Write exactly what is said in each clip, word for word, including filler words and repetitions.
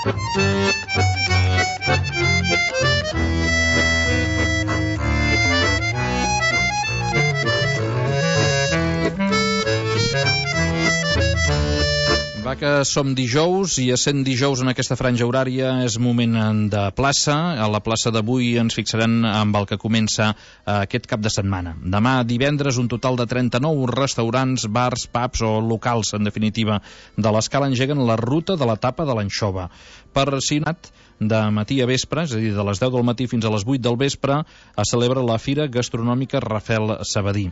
Va que som dijous i essent dijous en aquesta franja horària és moment de plaça. A la plaça d'avui ens fixarem amb el que comença aquest cap de setmana. Demà divendres un total de trenta-nou restaurants, bars, pubs o locals, en definitiva, de l'Escala engeguen la ruta de la tapa de l'anxova. Per Sinat, de matí a vespre, és a dir, de les deu del matí fins a les vuit del vespre, es celebra la Fira Gastronòmica Rafel Sabadí.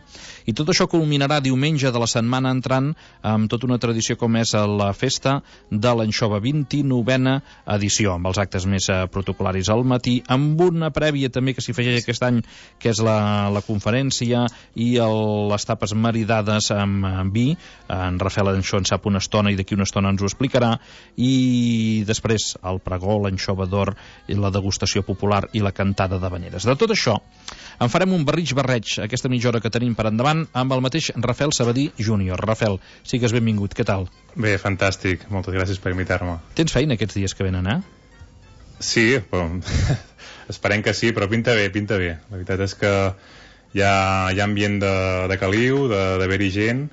I tot això culminarà diumenge de la setmana entrant amb tota una tradició com és la Festa de l'Anxova, vint-i-novena edició, amb els actes més protocolaris al matí, amb una prèvia també que s'hi afegeix aquest any, que és la, la conferència i el, les tapes maridades amb, amb vi. En Rafel això en sap una estona i d'aquí una estona ens ho explicarà. I després el pregó, l'anxova d'or i la degustació popular i la cantada d'habaneres. De tot això en farem un barrig-barreig aquesta mitja hora que tenim per endavant amb el mateix Rafel Sabadí júnior. Rafel, sigues benvingut, què tal? Bé, fantàstic, moltes gràcies per invitar-me. Tens feina aquests dies que venen, eh? Sí, però esperem que sí, però pinta bé, pinta bé. La veritat és que hi ha, hi ha ambient de, de caliu, d'haver-hi gent,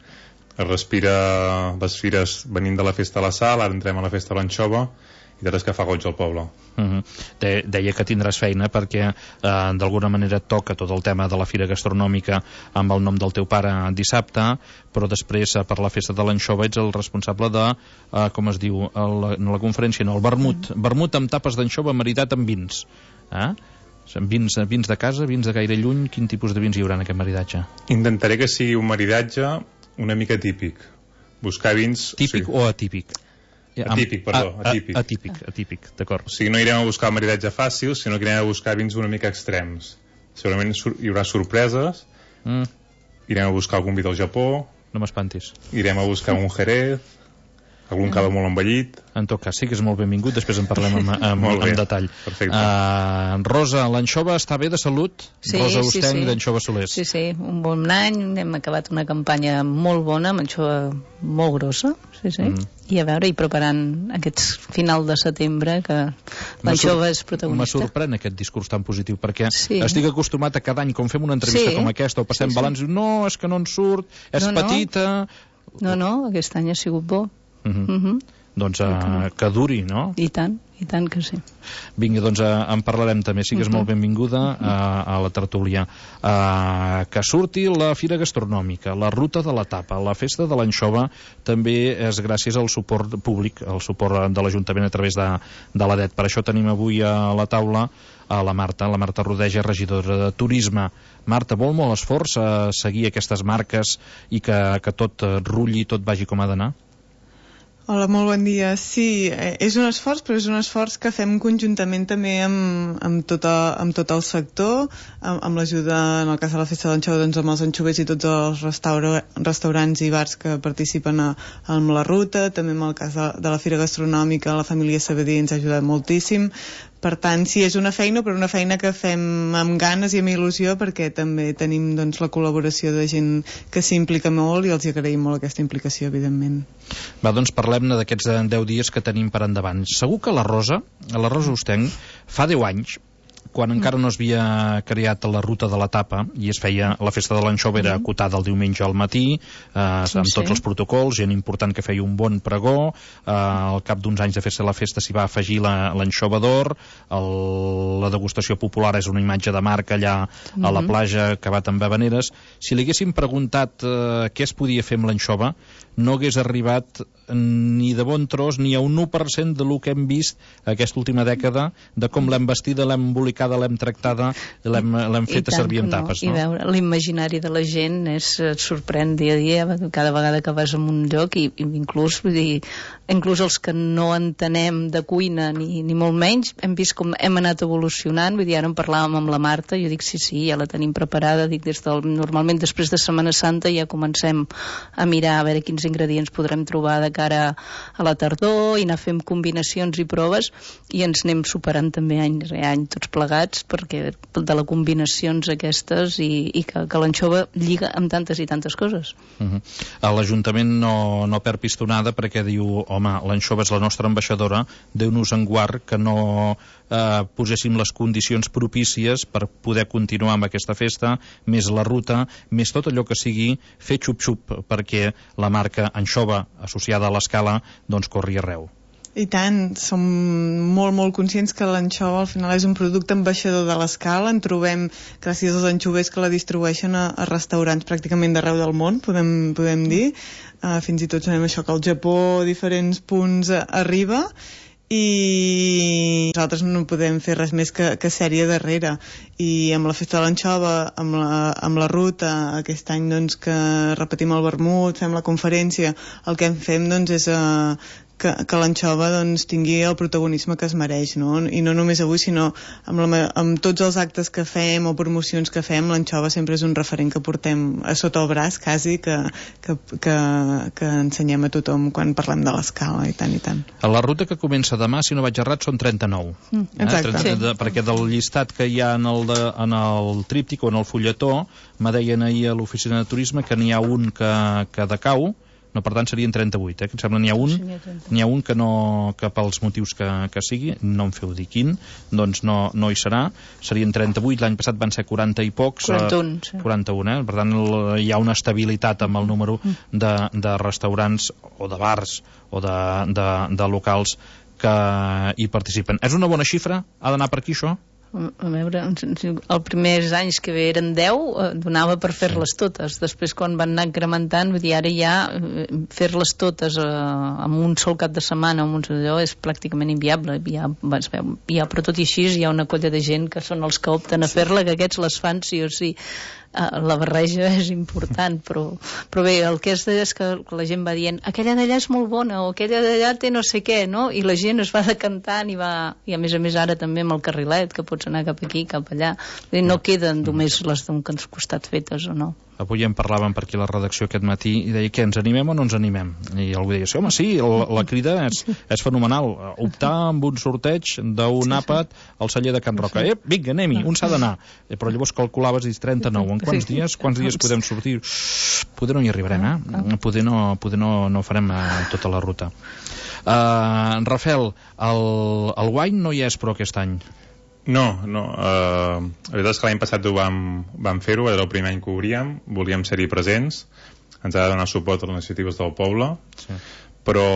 es respira les fires venint de la festa a la sal, ara entrem a la festa de l'anxova, i de res que fa goig al poble. Uh-huh. De, deia que tindràs feina perquè eh, d'alguna manera et toca tot el tema de la Fira Gastronòmica amb el nom del teu pare dissabte, però després eh, per la festa de l'anxova ets el responsable de, eh, com es diu, el, no la conferència, no, el vermut. Mm. Vermut amb tapes d'anxova maridat amb vins. Eh? Vins, vins de casa, vins de gaire lluny, quin tipus de vins hi haurà en aquest maridatge? Intentaré que sigui un maridatge una mica típic. Buscar vins... Típic sí. O atípic? Atípic, perdó, a, a, atípic. Atípic, atípic, d'acord. O sigui, no irem a buscar el maridatge fàcil, sinó que irem a buscar vins una mica extrems. Segurament hi haurà sorpreses, mm. irem a buscar algun vi del Japó... No m'espantis. Irem a buscar un Jerez, algun cava molt envellit... En tot cas, sí que és molt benvingut, després en parlem amb, amb, amb detall. Perfecte. Uh, Rosa, l'anxova està bé de salut? Sí, Rosa sí, Usteny, sí. d'Anxova Solers. Sí, sí, un bon any, hem acabat una campanya molt bona, amb anxova molt grossa, sí, sí. Mm. I a veure, i preparant aquests final de setembre, que l'anxova és protagonista. Me sorprèn aquest discurs tan positiu, perquè sí. estic acostumat a cada any, com fem una entrevista sí. com aquesta, o passem sí, sí. balanç, no, és que no en surt, és no, petita... No, no, aquest any ha sigut bo. Uh -huh. Uh -huh. Doncs uh, que duri, no? I tant, i tant que sí. Vinga, doncs uh, en parlarem també, sigues uh -huh. molt benvinguda uh, a la tertúlia. Uh, que surti la Fira Gastronòmica, la Ruta de la Tapa, la Festa de l'Anxova, també és gràcies al suport públic, al suport de l'Ajuntament a través de, de l'A D E T. Per això tenim avui a la taula a la Marta, la Marta Rodeja, regidora de Turisme. Marta, vol molt esforç a seguir aquestes marques i que, que tot rulli, tot vagi com ha d'anar? Hola, molt bon dia. Sí, és un esforç, però és un esforç que fem conjuntament també amb, amb, tot, a, amb tot el sector, amb, amb l'ajuda, en el cas de la Festa de l'Anxova, doncs amb els anxovers i tots els restaura, restaurants i bars que participen a, amb la ruta, també amb el cas de, de la Fira Gastronòmica, la família Sabadí ens ha ajudat moltíssim. Per tant, sí, és una feina, però una feina que fem amb ganes i amb il·lusió, perquè també tenim doncs, la col·laboració de gent que s'implica molt i els agraïm molt aquesta implicació, evidentment. Va, doncs parlem-ne d'aquests deu dies que tenim per endavant. Segur que la Rosa, la Rosa Usteny, fa deu anys, quan encara no s'havia creat la Ruta de la Tapa i es feia la Festa de l'Anxova, era acotada el diumenge al matí, eh, sí, amb tots sí. els protocols, gent important que feia un bon pregó, eh, al cap d'uns anys de fer-se la festa s'hi va afegir l'anxova d'or, la degustació popular és una imatge de marca allà mm-hmm. a la platja, acabat amb habaneres. Si li haguéssim preguntat eh, què es podia fer amb l'anxova, no hagués arribat ni de bon tros ni a un u per cent de lo que hem vist aquesta última dècada, de com l'hem vestida, l'hem embolicada, l'hem tractada, l'hem fet a servir en tapes. No? No? I veure, l'imaginari de la gent és, et sorprèn dia a dia, cada vegada que vas a un lloc, i, i inclús, vull dir, inclús els que no entenem de cuina ni, ni molt menys, hem vist com hem anat evolucionant. Vull dir, ara en parlàvem amb la Marta, jo dic sí, sí, ja la tenim preparada, dic, des del, normalment després de Setmana Santa ja comencem a mirar a veure quins ingredients podrem trobar de cara a la tardor i anar fent combinacions i proves, i ens anem superant també any rere any tots plegats. plegats perquè de les combinacions aquestes i, i que, que l'anxova lliga amb tantes i tantes coses. Uh-huh. L'Ajuntament no, no perd pistonada perquè diu, home, l'anxova és la nostra ambaixadora, Déu-nos en guard que no eh, poséssim les condicions propícies per poder continuar amb aquesta festa, més la ruta, més tot allò que sigui fer xup-xup perquè la marca anxova associada a l'Escala doncs corri arreu. I tant, som molt, molt conscients que l'anxova al final és un producte ambaixador de l'Escala. En trobem, gràcies als anxovers que la distribueixen a, a restaurants pràcticament d'arreu del món, podem, podem dir. Uh, fins i tot sabem això, que al Japó diferents punts uh, arriba, i nosaltres no podem fer res més que, que sèrie darrere. I amb la festa de l'anxova, amb la, amb la ruta, aquest any doncs, que repetim el vermut, fem la conferència, el que en fem doncs, és uh, que, que l'anxova doncs, tingui el protagonisme que es mereix, no? I no només avui, sinó amb, la, amb tots els actes que fem o promocions que fem, l'anxova sempre és un referent que portem a sota el braç, quasi, que, que, que, que ensenyem a tothom quan parlem de l'Escala, i tant, i tant. A la ruta que comença demà, si no vaig errat, són trenta-nou. Mm, exacte. Eh? trenta, sí. de, perquè del llistat que hi ha en el, de, en el tríptic o en el fulletó, me deien ahir a l'oficina de turisme que n'hi ha un que, que decau, no, per tant serien trenta-vuit, eh? Que em sembla n'hi ha un n'hi ha un que no, que pels motius que, que sigui, no em feu dir quin, doncs no, no hi serà, serien trenta-vuit, l'any passat van ser quaranta i pocs, quaranta-un, eh, sí. quaranta-un, eh? Per tant el, hi ha una estabilitat amb el número de, de restaurants o de bars o de, de, de locals que hi participen. És una bona xifra? Ha d'anar per aquí això? A veure, els primers anys que eren deu, eh, donava per fer-les totes. Després, quan van anar incrementant, vull dir, ara ja eh, fer-les totes eh, en un sol cap de setmana, en un allò, és pràcticament inviable. Hi ha, es veu, hi ha, però tot i així hi ha una colla de gent que són els que opten a fer-la, que aquests les fan sí o sí. Uh, la barreja és important, però, però bé, el que és, és que la gent va dient aquella d'allà és molt bona, o aquella d'allà té no sé què, no? I la gent es va decantant i, va, i a més a més ara també amb el carrilet, que pots anar cap aquí, cap allà. Dir, no queden només les d'un costat fetes o no. Avui en parlàvem per aquí a la redacció aquest matí i deia que ens animem o no ens animem, i algú deia, sí, home, sí, la, la crida és, és fenomenal, optar amb un sorteig d'un àpat al celler de Can Roca, eh, vinga, anem-hi, un s'ha d'anar, però llavors calculaves i dius trenta-nou, en quants dies quants dies podem sortir? Poder no hi arribarem, eh? Poder no, poder no, no farem eh, tota la ruta. uh, Rafael, el, el wine no hi és però aquest any. No, no. Uh, la veritat és que l'any passat ho vam, vam fer-ho, era el primer any que obríem, volíem ser-hi presents, ens ha de donar suport a les iniciatives del poble, sí. Però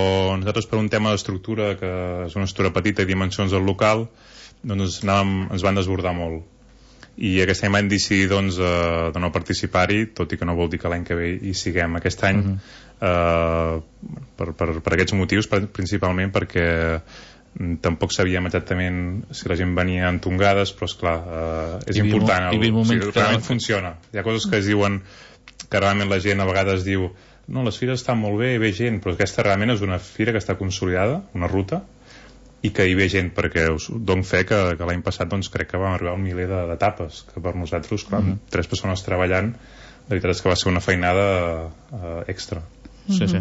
nosaltres per un tema d'estructura, que és una estructura petita i dimensions del local, doncs anàvem, ens van desbordar molt. I aquest any vam decidir doncs, uh, de no participar-hi, tot i que no vol dir que l'any que ve hi siguem. Aquest any, uh-huh. uh, per, per, per aquests motius, per, principalment perquè tampoc sabíem exactament si la gent venia en tongades, però esclar, eh, és hi important el, o sigui, realment funciona. Hi ha coses que es diuen que realment la gent a vegades diu no, les fires estan molt bé, hi ve gent, però aquesta realment és una fira que està consolidada, una ruta, i que hi ve gent, perquè us dono fe que, que l'any passat doncs, crec que vam arribar a un miler d'etapes, que per nosaltres, clar, mm -hmm. tres persones treballant, la veritat és que va ser una feinada eh, extra. Sí, sí.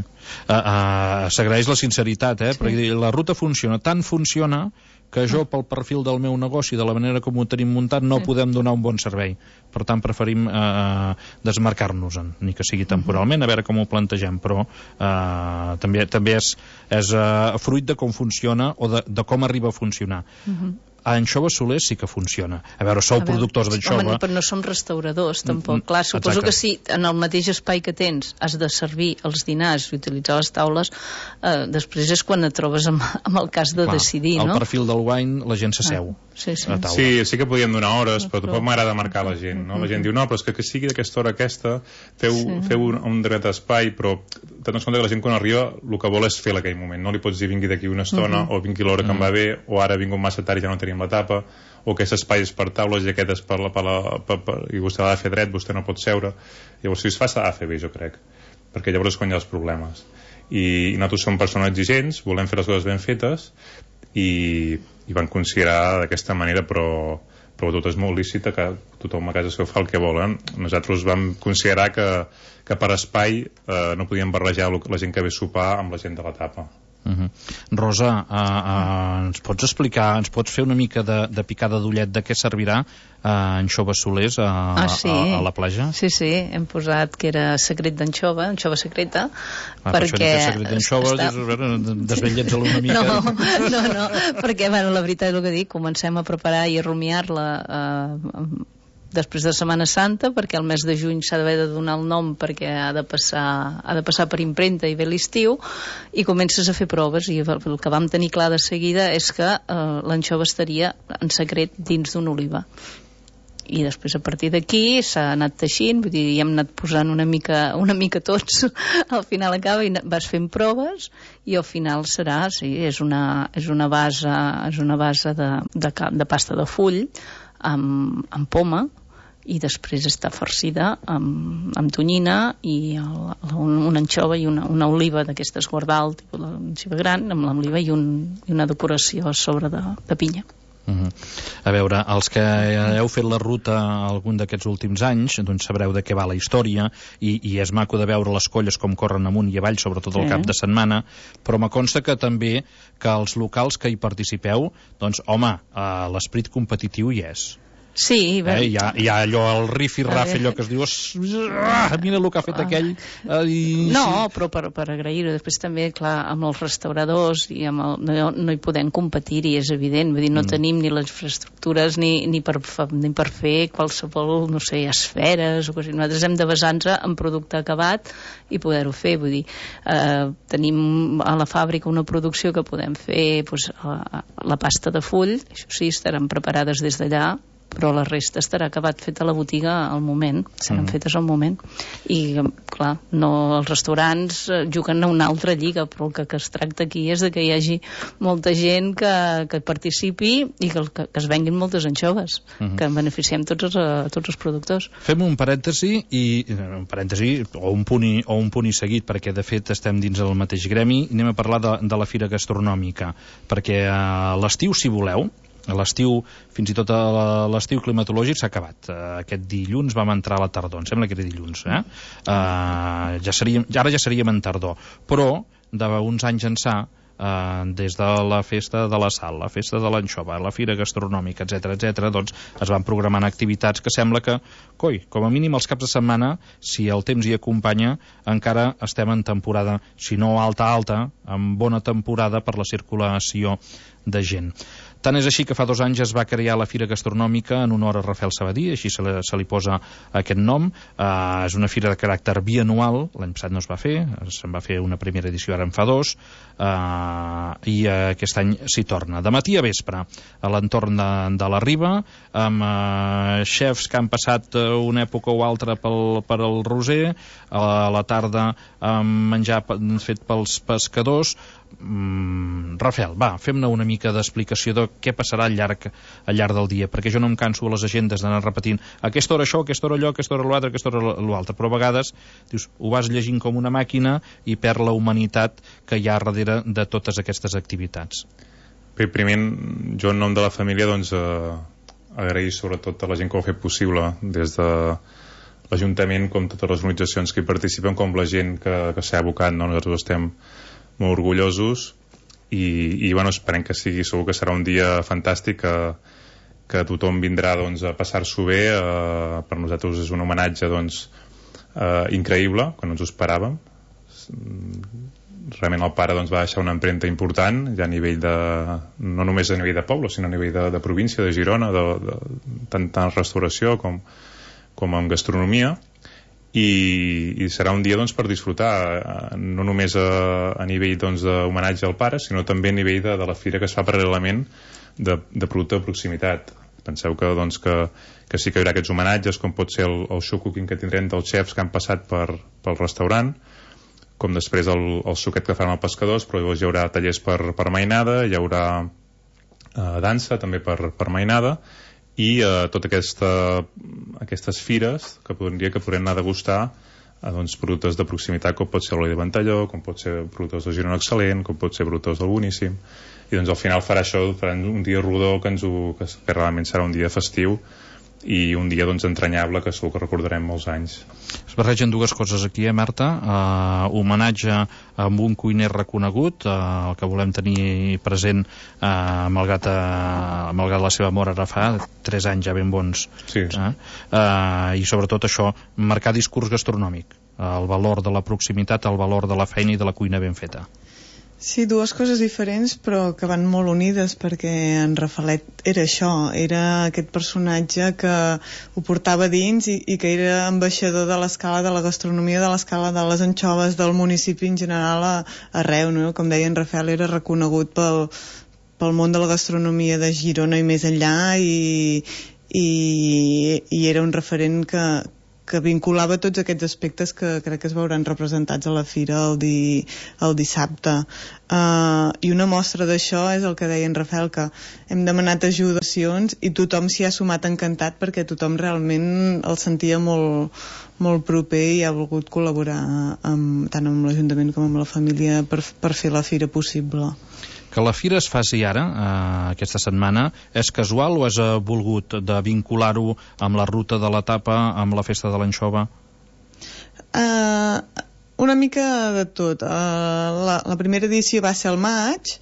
Uh, uh, s'agraeix la sinceritat, eh? Sí. Perquè la ruta funciona, tant funciona que jo, pel perfil del meu negoci, de la manera com ho tenim muntat, no sí. podem donar un bon servei. Per tant, preferim uh, desmarcar-nos-en, ni que sigui temporalment, a veure com ho plantegem, però uh, també, també és, és uh, fruit de com funciona o de, de com arriba a funcionar. Uh-huh. A Anxova Soler sí que funciona. A veure, sou a veure, productors d'anxova... Home, però no som restauradors, tampoc. Mm, Clar, suposo exacte. Que si en el mateix espai que tens has de servir els dinars i utilitzar les taules, eh, després és quan et trobes amb, amb el cas de Clar, decidir, no? Al perfil del wine la gent s'asseu. Ah, sí, sí. sí, sí que podíem donar hores, però tampoc m'agrada marcar la gent, no? La gent diu, no, però és que, que sigui d'aquesta hora aquesta, feu, sí. feu un, un dret espai, però tenint compte que la gent quan arriba el que vol és fer aquell moment, no li pots dir vingui d'aquí una estona, uh-huh. o vingui l'hora que uh-huh. em va bé, o ara vinc massa tard i ja no tenim la tapa, o aquest espai és per taules i aquest és per la, per la, per, per, i vostè l'ha de fer dret, vostè no pot seure. Llavors si es fa s'ha de fer bé, jo crec, perquè llavors és quan hi ha els problemes. I, i nosaltres som persones exigents, volem fer les coses ben fetes i, i van considerar d'aquesta manera, però, però tot és molt lícita, que tothom a casa seu fa el que volen. Nosaltres vam considerar que, que per espai eh, no podíem barrejar la gent que ve a sopar amb la gent de la tapa. Uh-huh. Rosa, uh, uh, ens pots explicar, ens pots fer una mica de, de picada d'ullet de què servirà uh, anxoves solers a, ah, sí. a, a la platja? Sí, sí, hem posat que era secret d'anxova, anxova secreta, ah, perquè... Per això secret d'anxova, està... desvetllets-la una mica. No, no, no, perquè, bueno, la veritat és el que dic, comencem a preparar i a rumiar-la uh, després de Setmana Santa, perquè el mes de juny s'ha d'haver de donar el nom perquè ha de passar, ha de passar per impremta i ve l'estiu, i comences a fer proves, i el que vam tenir clar de seguida és que eh, l'anxova estaria en secret dins d'una oliva. I després a partir d'aquí s'ha anat teixint, vull dir, hi hem anat posant una mica, una mica tots, al final acaba i vas fent proves i al final serà, sí, és una, és una base, és una base de, de, de pasta de full amb, amb poma, i després està farcida amb, amb tonyina i el, un, una anxova i una, una oliva d'aquestes guardal, tipus l'anxova gran, amb l'oliva i, un, i una decoració a sobre de, de pinya. Uh-huh. A veure, els que heu fet la ruta algun d'aquests últims anys, doncs sabreu de què va la història, i, i és maco de veure les colles com corren amunt i avall, sobretot el sí. cap de setmana, però me consta que també que els locals que hi participeu, doncs home, eh, l'esperit competitiu hi és. Sí, eh, hi, ha, hi ha allò, el rif-i-raf, allò que es diu, ah, mira el que ha fet aquell. Eh, i... No, però per, per agrair-ho. Després també, clar, amb els restauradors i amb el, no, no hi podem competir, i és evident, vull dir, no mm. tenim ni les infraestructures ni, ni, per, ni per fer qualsevol, no sé, esferes o coses. Nosaltres hem de basar-nos en producte acabat i poder-ho fer, vull dir, eh, tenim a la fàbrica una producció que podem fer, doncs, la, la pasta de full, això sí, estaran preparades des d'allà, però la resta estarà acabat fet a la botiga al moment, seran mm. fetes al moment, i clar, no, els restaurants juguen a una altra lliga, però el que, que es tracta aquí és de que hi hagi molta gent que, que participi i que, que, que es venguin moltes anxoves, mm. que en beneficiem tots els, tots els productors. Fem un parèntesi i un parèntesi o un punt i, o un punt i seguit, perquè de fet estem dins el mateix gremi, i anem a parlar de, de la fira gastronòmica, perquè a l'estiu, si voleu, a l'estiu, fins i tot a l'estiu climatològic s'ha acabat. Aquest dilluns vam entrar a la tardor, em sembla que era dilluns, eh? Uh, ja seríem, ara ja seríem en tardor, però d'uns anys ençà, Uh, des de la festa de la sal, la festa de l'anxova, la fira gastronòmica, etcètera, etcètera, doncs es van programant activitats que sembla que, coi, com a mínim els caps de setmana, si el temps hi acompanya, encara estem en temporada, si no alta, alta, en bona temporada per la circulació de gent. Tant és així que fa dos anys es va crear la Fira Gastronòmica en honor a Rafael Sabadí, així se li, se li posa aquest nom. Uh, és una fira de caràcter bianual, l'any passat no es va fer, se'n va fer una primera edició, ara en fa dos, uh, i uh, aquest any s'hi torna. De matí a vespre, a l'entorn de, de la Riba, amb uh, xefs que han passat uh, una època o altra pel, per al Roser, a la tarda amb menjar fet pels pescadors. Mm, Rafael, va, fem-ne una mica d'explicació de què passarà al llarg, al llarg del dia, perquè jo no em canso a les agendes d'anar repetint a aquesta hora això, a aquesta hora allò, a aquesta hora l'altre, a aquesta hora l'altre, però a vegades dius, ho vas llegint com una màquina i perd la humanitat que hi ha darrere de totes aquestes activitats. Bé, primer, jo en nom de la família, doncs, eh, agrair sobretot a la gent que ho ha fet possible, des de l'Ajuntament, com totes les organitzacions que hi participen, com la gent que, que s'ha abocat, no? Nosaltres estem molt orgullosos i, i bueno, esperem que sigui, segur que serà un dia fantàstic, que, que tothom vindrà, doncs, a passar-s'ho bé. Eh, per nosaltres és un homenatge, doncs, eh, increïble, que no ens ho esperàvem. Realment el pare, doncs, va deixar una empremta important, ja a nivell de, no només a nivell de poble, sinó a nivell de, de província, de Girona, de, de, tant en restauració com, com en gastronomia. I, i serà un dia, doncs, per disfrutar, no només a, a nivell, doncs, d'homenatge al pare, sinó també a nivell de, de la fira que es fa paral·lelament de, de producte de proximitat. Penseu que, doncs, que, que sí que hi haurà aquests homenatges, com pot ser el, el show cooking que tindrem dels xefs que han passat per, pel restaurant, com després el, el suquet que fan els pescadors, però llavors hi haurà tallers per, per mainada, hi haurà eh, dansa també per, per mainada, i eh, totes aquesta, aquestes fires que podria que podrem anar a degustar eh, doncs, productes de proximitat, com pot ser l'oli de Ventalló, com pot ser productes de Girona Excel·lent, com pot ser productes del Boníssim, i doncs al final farà això, farà un dia rodó que, ens ho, que, que realment serà un dia festiu i un dia doncs entranyable que segur que recordarem molts anys. Es barregen dues coses aquí, eh, Marta? Uh, homenatge amb un cuiner reconegut, uh, el que volem tenir present, uh, malgrat, uh, malgrat la seva mort ara fa tres anys ja ben bons. Sí, sí. Uh, uh, I sobretot això, marcar discurs gastronòmic, uh, el valor de la proximitat, el valor de la feina i de la cuina ben feta. Sí, dues coses diferents però que van molt unides, perquè en Rafalet era això, era aquest personatge que ho portava dins i, i que era ambaixador de l'escala de la gastronomia, de l'escala de les anxoves del municipi en general a, arreu, no? Com deia en Rafael, era reconegut pel, pel món de la gastronomia de Girona i més enllà, i, i, i era un referent que que vinculava tots aquests aspectes que crec que es veuran representats a la fira el, di, el dissabte. Uh, I una mostra d'això és el que deia en Rafael, que hem demanat ajudacions i tothom s'hi ha sumat encantat, perquè tothom realment el sentia molt, molt proper i ha volgut col·laborar amb, tant amb l'Ajuntament com amb la família per, per fer la fira possible. Que la fira es faci ara, eh, aquesta setmana, és casual o és eh, volgut de vincular-ho amb la ruta de l'etapa, amb la festa de l'anxova? Uh, una mica de tot. Uh, la, la primera edició va ser al maig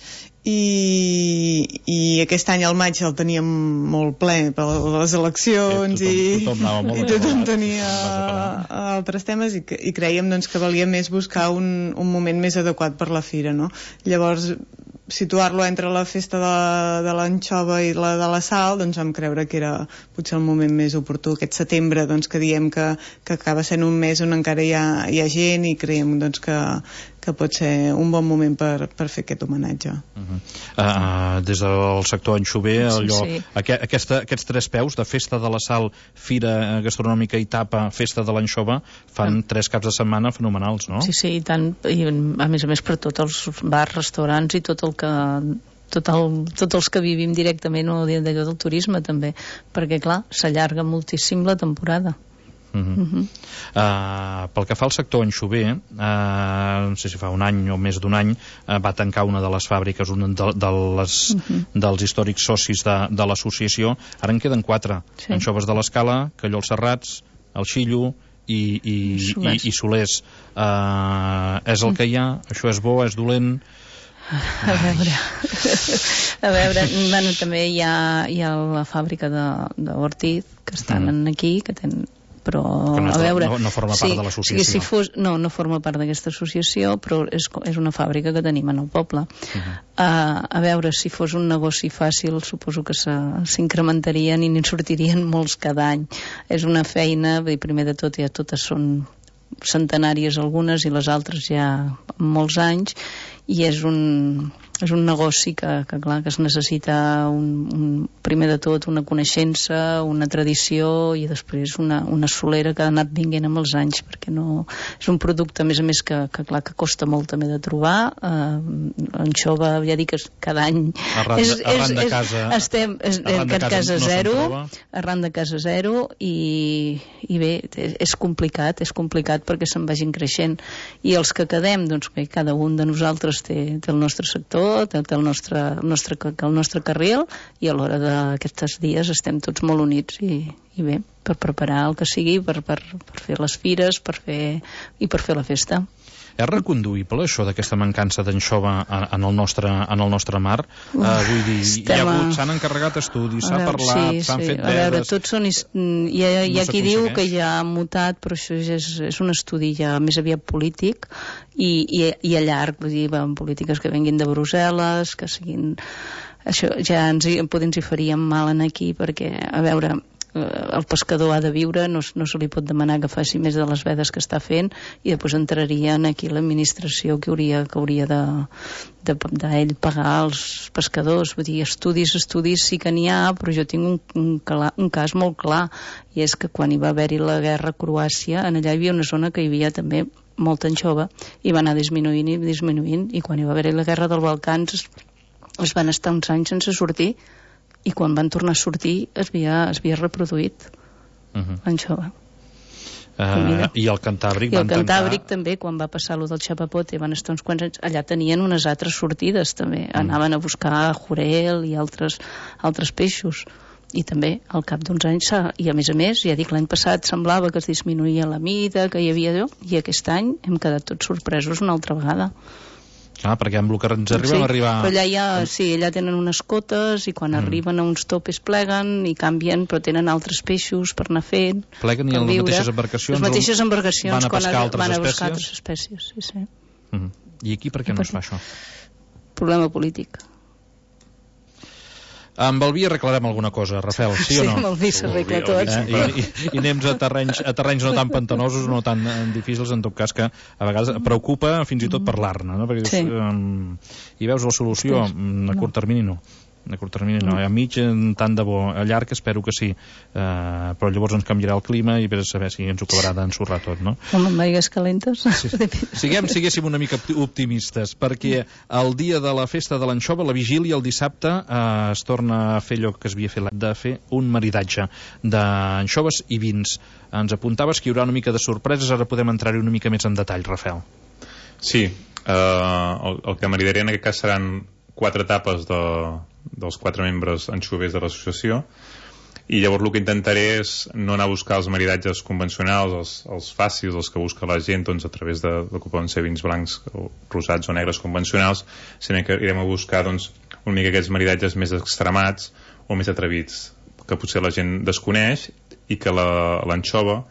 i, i aquest any al maig el teníem molt ple per les eleccions, sí, tothom, i tothom, i tothom tenia altres temes, i, i creiem doncs, que valia més buscar un, un moment més adequat per la fira, no? Llavors situar-lo entre la festa de, de l'anxova i la de la sal, doncs vam creure que era potser el moment més oportú, aquest setembre, doncs, que diem que, que acaba sent un mes on encara hi ha, hi ha gent, i creiem doncs, que, que pot ser un bon moment per, per fer aquest homenatge. Uh-huh. uh, des del sector anxover, allò, sí, sí. Aqu aquesta, aquests tres peus de festa de la sal, fira gastronòmica i tapa, festa de l'anxova, fan uh. tres caps de setmana fenomenals, no? Sí, sí, i tant, i a més a més per tots els bars, restaurants i tot el que tot el, tots els que vivim directament o d'allò del turisme també, perquè clar, s'allarga moltíssim la temporada. Uh -huh. Uh -huh. Uh, pel que fa al sector anxover, uh, no sé si fa un any o més d'un any, uh, va tancar una de les fàbriques, una de, de les, uh -huh. dels històrics socis de, de l'associació. Ara en queden quatre, sí. Anxoves de l'Escala, Calló els Serrats, el Xillo i, i, Solers. i, i Solers. Uh, és el que hi ha? Això és bo, és dolent? A veure, a veure, bueno, també hi ha, hi ha la fàbrica d'Ortiz, que estan mm. aquí, que tenen, però que no, a veure, no, no forma sí, part de l'associació. Si fos, no, no forma part d'aquesta associació, però és, és una fàbrica que tenim en el poble. Uh-huh. uh, a veure, si fos un negoci fàcil, suposo que s'incrementarien i n'hi sortirien molts cada any. És una feina, bé, primer de tot, ja totes són centenàries algunes i les altres ja molts anys, i és un, és un negoci que, que, clar, que es necessita un, un, primer de tot una coneixença, una tradició, i després una, una solera que ha anat vinguent amb els anys, perquè no, és un producte a més a més que, que, clar, que costa molt també de trobar. uh, l'anxova, ja dic, cada any arran, és, arran és, de és, casa estem, és, arran de casa, casa no zero, arran de casa zero, i, i bé, és complicat és complicat perquè se'n vagin creixent, i els que quedem, doncs bé, cada un de nosaltres té, té el nostre sector, té, té el, nostre, el, nostre, el nostre carril, i a l'hora d'aquests dies estem tots molt units i, i bé, per preparar el que sigui, per, per, per fer les fires, per fer, i per fer la festa. És reconduïble això d'aquesta mancança d'anxova en el nostre, en el nostre mar? Uh, vull dir, s'han encarregat estudis, s'ha parlat, sí, s'han sí. fet A veure, veres... tots són... Hi ha, hi ha no qui diu que ja ha mutat, però això és, és un estudi ja més aviat polític i, i, i a llarg, vull dir, van polítiques que venguin de Brussel·les, que siguin... Això ja ens, ens hi faríem mal en aquí, perquè, a veure... el pescador ha de viure, no, no se li pot demanar que faci més de les vedes que està fent, i després entraria aquí l'administració que hauria, que hauria de, de, d'ell pagar els pescadors. Vull dir, estudis, estudis sí que n'hi ha, però jo tinc un, un, un cas molt clar, i és que quan hi va haver-hi la guerra a Croàcia, en allà hi havia una zona que hi havia també molta anxova, i va anar disminuint i disminuint, i quan hi va haver-hi la guerra dels Balcans es, es van estar uns anys sense sortir, i quan van tornar a sortir es havia, es havia reproduït uh-huh. l'anxova. Uh, I el Cantàbric I el van Cantàbric tancar... també, quan va passar lo del xapapote, van estar uns quants anys, allà tenien unes altres sortides també, mm. anaven a buscar jurel i altres, altres peixos, i també al cap d'uns anys, i a més a més, ja dic, l'any passat semblava que es disminuïa la mida, que hi havia allò, i aquest any hem quedat tots sorpresos una altra vegada. Ah, perquè amb el que ens arribem sí, a arribar... Però allà ja, sí, allà tenen unes cotes i quan mm. arriben a uns topes pleguen i canvien, però tenen altres peixos per anar fent. Pleguen i en les mateixes embarcacions... Les mateixes embarcacions van a pescar quan altres van a espècies? buscar altres espècies, sí, sí. Mm. I aquí per què no es fa això? Problema polític. Amb el vi arreglarem alguna cosa, Rafael, sí, sí o no? Sí, amb el vi s'arregla tot. Eh? I, i, I anem a terrenys, a terrenys no tan pantanosos, no tan difícils, en tot cas, que a vegades preocupa fins i tot parlar-ne, no? Perquè sí. dius, um, i veus la solució, a curt termini no. A curt termini no, a mig tant de bo, a llarg espero que sí, uh, però llavors ens canviarà el clima i vés a saber si ens ho acabarà d'ensorrar tot, no? Home, amb aigues calentes. Sí. Siguem, siguéssim una mica optimistes, perquè el dia de la festa de l'anxova, la vigília, el dissabte, uh, es torna a fer allò que es havia fet, de fer un maridatge d'anxoves i vins. Ens apuntaves que hi haurà una mica de sorpreses, ara podem entrar-hi una mica més en detall, Rafael. Sí, uh, el, el que maridaré en aquest cas seran quatre etapes de, dels quatre membres anxovers de l'associació, i llavors el que intentaré és no anar a buscar els maridatges convencionals, els, els fàcils, els que busca la gent doncs, a través de, de que poden ser vins blancs o rosats o negres convencionals, sinó que irem a buscar doncs, una mica aquests maridatges més extremats o més atrevits, que potser la gent desconeix i que l'anxova,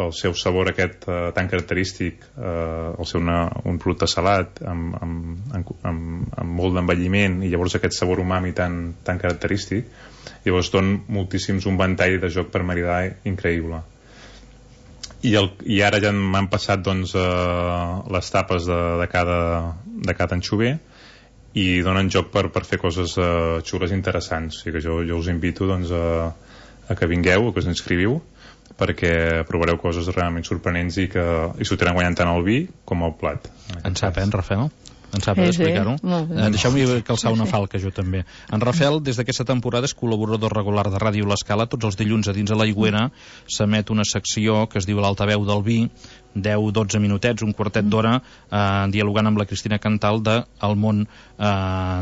pel seu sabor aquest eh, tan característic, eh, el ser una, un producte salat amb, amb, amb, amb, amb molt d'envelliment i llavors aquest sabor umami tan, tan característic, llavors don moltíssims un ventall de joc per maridar increïble. I, el, i ara ja m'han passat doncs, eh, les tapes de, de, cada, de cada anxover i donen joc per, per fer coses eh, xules i interessants. O sigui que jo, jo us invito doncs, a, a que vingueu, a que us inscriviu, perquè provareu coses realment sorprenents i que i s'ho tenen guanyant tant el vi com el plat. En sap, eh, en Rafael? En sap explicar-ho? Eh, Deixeu-me calçar una falca, jo també. En Rafael, des d'aquesta temporada, és col·laborador regular de Ràdio L'Escala. Tots els dilluns a dins de l'Aigüera s'emet una secció que es diu l'altaveu del vi, deu dotze minutets, un quartet d'hora, eh, dialogant amb la Cristina Cantal de El món eh,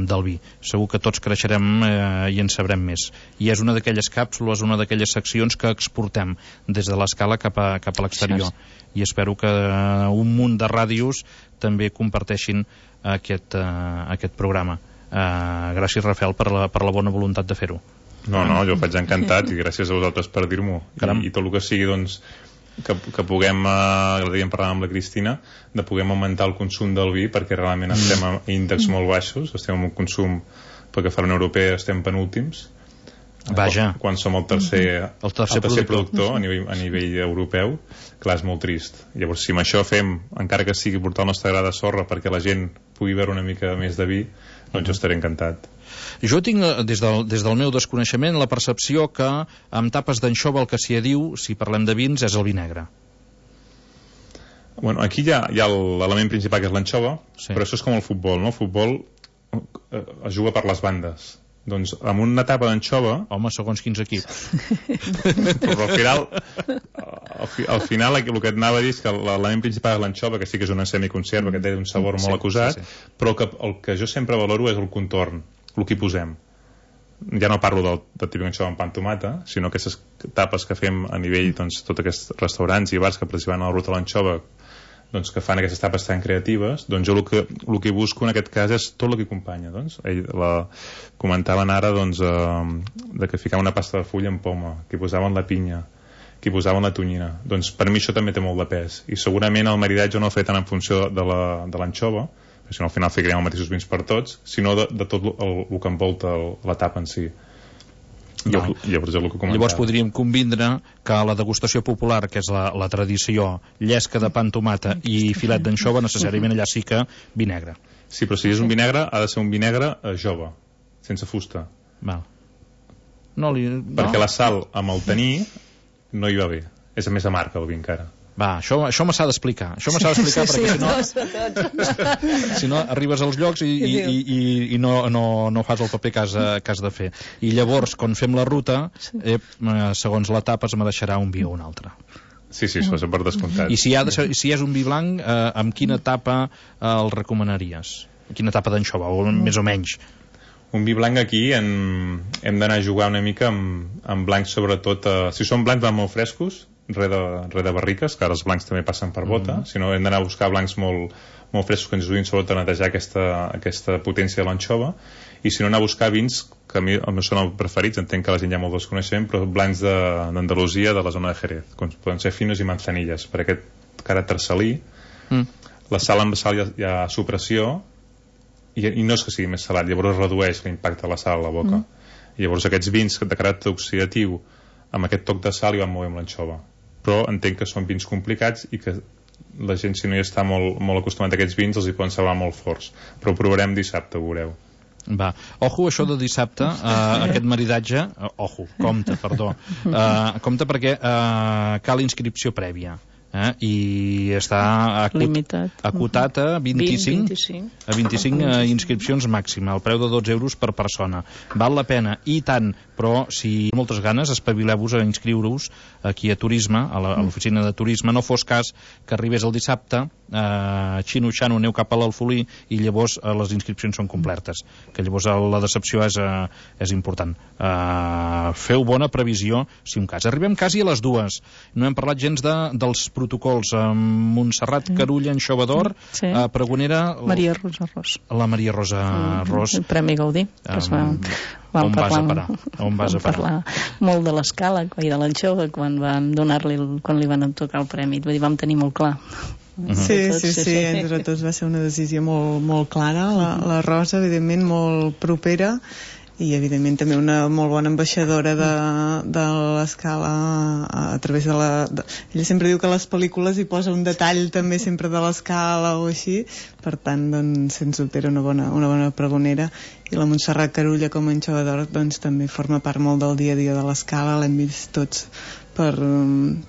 del vi. Segur que tots creixerem eh, i en sabrem més. I és una d'aquelles càpsules, una d'aquelles seccions que exportem des de l'Escala cap a, cap a l'exterior. I espero que eh, un munt de ràdios també comparteixin aquest, uh, aquest programa. Uh, gràcies, Rafael, per la, per la bona voluntat de fer-ho. No, no, jo faig encantat i gràcies a vosaltres per dir-m'ho. I, I tot el que sigui, doncs, que, que puguem, uh, l'havíem parlat amb la Cristina, de puguem augmentar el consum del vi, perquè realment estem a índexs molt baixos, estem en un consum, pel que fa a la Unió Europea, estem penúltims. Vaja. Quan, quan som el tercer, el tercer, el tercer productor, productor a nivell, a nivell europeu, clar, és molt trist. Llavors, si amb això fem, encara que sigui portar el nostre gra de sorra perquè la gent pugui veure una mica més de vi, doncs jo estaré encantat. Jo tinc, des del, des del meu desconeixement, la percepció que amb tapes d'anxova el que s'hi diu, si parlem de vins, és el vi negre. Bueno, aquí hi ha, hi ha l'element principal, que és l'anxova, sí. Però això és com el futbol, no? El futbol eh, es juga per les bandes. Doncs amb una tapa d'anxova... Home, segons quins equips. Però al final, al, fi, al final el que et anava a dir és que l'element principal és l'anxova, que sí que és una semiconserva, que té un sabor molt sí, acusat, sí, sí. Però que, el que jo sempre valoro és el contorn, el que hi posem. Ja no parlo del, del típic anxova amb pa amb tomata, sinó aquestes tapes que fem a nivell, doncs, tots aquests restaurants i bars que participen a la ruta de l'anxova, doncs, que fan aquestes tapes tan creatives, doncs jo el que, el que busco en aquest cas és tot el que acompanya. Doncs. Ell, la, comentaven ara doncs, eh, de que ficaven una pasta de fulla amb poma, que hi posaven la pinya, que hi posaven la tonyina. Doncs per mi això també té molt de pes. I segurament el maridatge no el faré tant en funció de l'anxova, perquè si no al final ficarem els mateixos vins per tots, sinó de, de tot el, el que envolta el, la tapa en si. No. Llavors, Llavors podríem convindre que la degustació popular, que és la, la tradició, llesca de pa amb tomata i filet d'anxova, necessàriament allà sí que vi negre. Sí, però si és un vi negre, ha de ser un vi negre eh, jove, sense fusta. Val. No li... Perquè no? la sal amb el taní no hi va bé. És més amarg el vi encara. Va, això, això me s'ha d'explicar. Això me s'ha d'explicar sí, perquè sí, si no... si no, arribes als llocs i, i, i, i, i no, no, no fas el paper que has, que has de fer. I llavors, quan fem la ruta, eh, segons l'etapa, es me deixarà un vi o un altre. Sí, sí, això és per descomptat. I si, ha de ser, si és un vi blanc, eh, amb quina etapa eh, el recomanaries? Quina etapa d'anxova, o més o menys? Un vi blanc aquí hem, hem d'anar a jugar una mica amb, amb blancs, sobretot, eh, si són blancs van molt frescos, res de, res de barriques, que ara els blancs també passen per bota, mm -hmm. sinó hem d'anar a buscar blancs molt, molt frescos que ens ajudin sobretot a netejar aquesta, aquesta potència de l'anxova, i si no anar a buscar vins que a mi a mi són els preferits, entenc que la gent ja molt desconeixement, però blancs d'Andalusia, de, de la zona de Jerez, com poden ser finos i manzanilles, per aquest caràcter salí. Mm. La sal amb sal hi ha, hi ha supressió, i, i no és que sigui més salat, llavors redueix l'impacte de la sal a la boca. Mm. I llavors aquests vins de caràcter oxidatiu amb aquest toc de sal hi van molt bé amb l'anxova, però entenc que són vins complicats i que la gent, si no hi està molt, molt acostumat a aquests vins, els hi poden semblar molt forts, però ho provarem dissabte, ho veureu. Va, ojo això de dissabte, uh, aquest maridatge, uh, ojo, compte, perdó, uh, compte perquè uh, cal inscripció prèvia. Eh? I està acut, limitat, acotat a vint-i-cinc, vint-i-cinc. a vint-i-cinc uh, inscripcions màxima, al preu de dotze euros per persona. Val la pena, i tant, però si moltes ganes, espavileu-vos a inscriure-us aquí a Turisme, a l'oficina de Turisme. No fos cas que arribés el dissabte, eh, xino-xano, aneu cap a l'Alfolí i llavors eh, les inscripcions són completes, que llavors la decepció és, eh, és important. Eh, feu bona previsió, si un cas. Arribem quasi a les dues. No hem parlat gens de, dels protocols. Eh, Montserrat Carulla, Anxova d'Or, sí. eh, pregonera... Maria Rosa Ros. La Maria Rosa Ros. El Premi Gaudí, que es va... Vam on parlar, vas a parar? On vas a parar? Parlar molt de l'escala i de l'anxova quan vam donar-li, quan li van tocar el premi. Vull dir, vam tenir molt clar. Uh-huh. Sí, sí, sí, sí, entre tots va ser una decisió molt, molt clara. La, la Rosa, evidentment, molt propera, i evidentment també una molt bona ambaixadora de, de l'escala a, a través de la... De, ella sempre diu que a les pel·lícules hi posa un detall també sempre de l'escala o així, per tant, doncs, sens dubte era una bona, una bona pregonera. I la Montserrat Carulla com a Anxova d'Or doncs, també forma part molt del dia a dia de l'escala, l'hem vist tots per,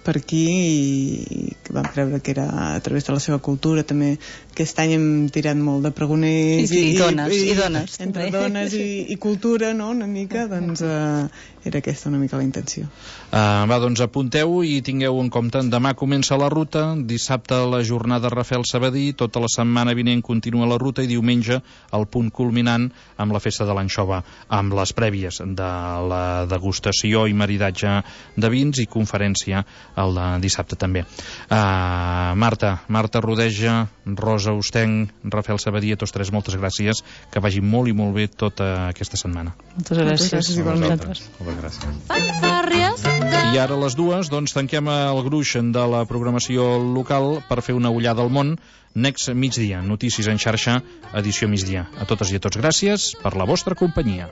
per aquí i vam creure que era a través de la seva cultura. També aquest any hem tirat molt de pregoners i, i, i dones, i, i, dones entre també. dones i, i cultura, no?, una mica, doncs eh, era aquesta una mica la intenció. Uh, va, doncs apunteu i tingueu en compte, demà comença la ruta, dissabte la jornada Rafael Sabadí, tota la setmana vinent continua la ruta i diumenge el punt culminant amb la festa de l'anxova, amb les prèvies de la degustació i maridatge de vins i conferència el de dissabte també. Uh, Marta, Marta Rodeja, Rosa Ostenc, Rafael Sabadí, a tots tres moltes gràcies, que vagi molt i molt bé tota aquesta setmana. Moltes gràcies. Moltes gràcies igualment. Moltes gràcies. I ara a les dues doncs tanquem el gruix de la programació local per fer una ullada al món. Next migdia, notícies en xarxa, edició migdia. A totes i a tots gràcies per la vostra companyia.